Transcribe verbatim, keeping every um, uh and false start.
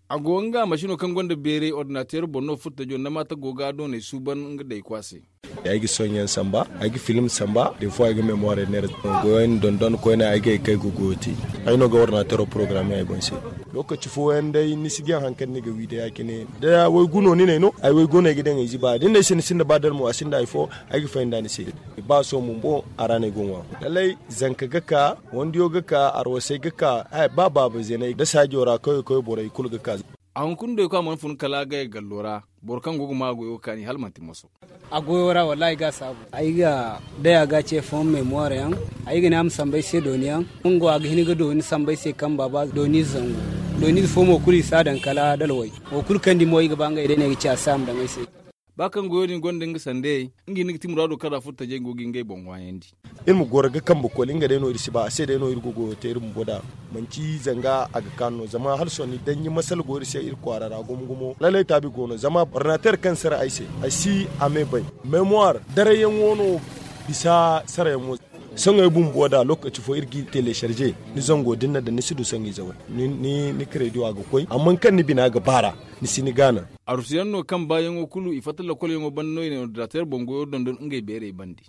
A go nga masino kaŋ gonda beeray ordinateer boŋ no furtajo nda maata go ga a doonay suuban nga day kwaase. Ay ga sohõ yaŋ samba, ay ga film samba, deefuwa ay ga memoire neera. Goyo ni dondon koyne ay ga ay kay ga goyo te. Ay no ga ordinateero porogaraame ay boŋ se. Lookaci fooyaŋ day ni si jaŋ hari kaŋ ni ga wi day ya- cine da waygu no ni n'ay no ay waygu no ay ga daŋ ay ziba da ni n'ay se ni sinda ba dalmo a sinda hari fo. Ay ga faham da ni se. Ba sohõ bumbo a ra no ay go ŋwa. Lallay, zanka ga ka, wandiyo ga ka, arwasay ga ka, ba baaba zeenay da saajo ra kawye kawye borey kulu ga ka. A hunkuna doy kaŋ a mana fun kala a gay gallo ra. Boro kaŋ go ga maa goyo ga kaani hala manti moso. A goyo ra wallahi ga a saabu. Ay ga day a ga a ce fohom memoire yaŋ. Ay ga ne a ma sambu ay se dooni yaŋ. Nga wo a ga hin ga dooni sambu ay se kaŋ baaba dooni ize zangu. Dooni ize fo mo kulu i si a daŋ kala dalway. Wo kulu kaŋ di mo ay ga ba ngey day no ay ga ci a se a ma daŋ ay se. Ba kaŋ goyo din gonda nga sandey, nga hinne ga ti muraado kaŋ ra furo tajey go ga ngey boŋ ŋwaayandi. Iri ma goro ga kambe koli nga day no iri si ba a se day no iri ga goyo te iri bumbo da. Manti zanga a ga kaanu no zama hala sohõ ni daŋ ni masala go iri se iri kwaara ra gumo gumo lallay taabi go no zama ordinateer kaŋ sara ay se ay si a me bay. Memoire darayyaŋo no bisa sarayaŋo. Sohõ ay bumbo da lokaci fo iri g'i telecharger ni zango da ni na daŋ ni si du sohõ ize way. Ni krediyo a ga koy amma kaŋ ni bina ga baara. Ni si ni gaana. Arusuyaŋ no kaŋ baayaŋo kulu i fatta lakolyaŋo banda no i na ordinateer boŋ goyo dondon ngey beerey bande.